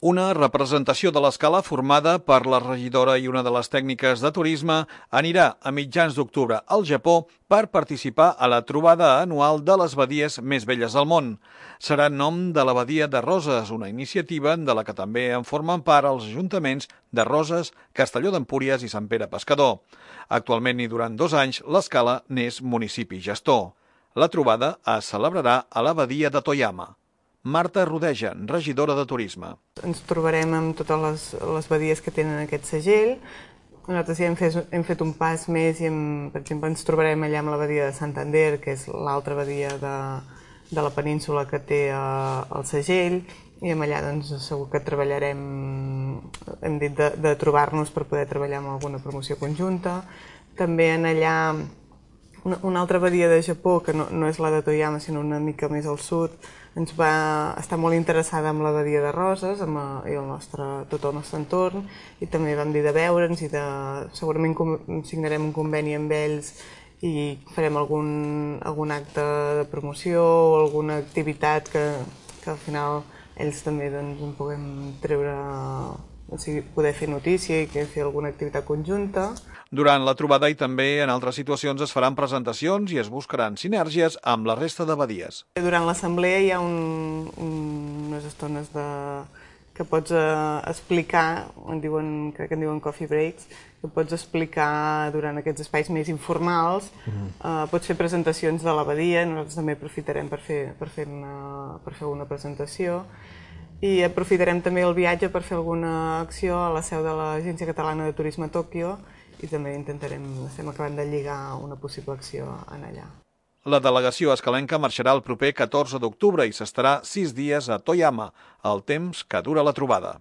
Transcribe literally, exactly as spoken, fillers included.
Una representació de l'escala formada per la regidora i una de les tècniques de turisme anirà a mitjans d'octubre al Japó per participar a la trobada anual de les badies més belles del món. Serà en nom de la Badia de Roses, una iniciativa de la que també en formen part els ajuntaments de Roses, Castelló d'Empúries i Sant Pere Pescador. Actualment i durant dos anys, l'escala n'és municipi gestor. La trobada es celebrarà a la Badia de Toyama. Marta Rodeja, regidora de Turisme. Ens trobarem amb totes les, les badies que tenen aquest segell. Nosaltres ja hem fet, hem fet un pas més i, hem, per exemple, ens trobarem allà amb la badia de Santander, que és l'altra badia de, de la península que té uh, el segell, i amb allà doncs, segur que treballarem, hem dit de, de trobar-nos per poder treballar amb alguna promoció conjunta. També en allà una, una altra badia de Japó, que no, no és la de Toyama, sinó una mica més al sud, ens va estar molt interessada amb la badia de Roses amb el, i el nostre, tot el nostre entorn, i també vam dir de veure'ns i de, segurament signarem un conveni amb ells i farem algun, algun acte de promoció o alguna activitat que, que al final ells també doncs, en puguem treure, o sigui, poder fer notícia i que fer alguna activitat conjunta. Durant la trobada i també en altres situacions es faran presentacions i es buscaran sinergies amb la resta de badies. Durant l'assemblea hi ha un, un, unes estones de, que pots uh, explicar, en diuen, crec que en diuen coffee breaks, que pots explicar durant aquests espais més informals, uh-huh. uh, pots fer presentacions de la badia, nosaltres també aprofitarem per fer, per fer, una, per fer una presentació, i aprofitarem també el viatge per fer alguna acció a la seu de l'Agència Catalana de Turisme a Tòquio, i també intentarem, estem acabant de lligar una possible acció en allà. La delegació escalenca marxarà el proper catorze d'octubre i s'estarà sis dies a Toyama, el temps que dura la trobada.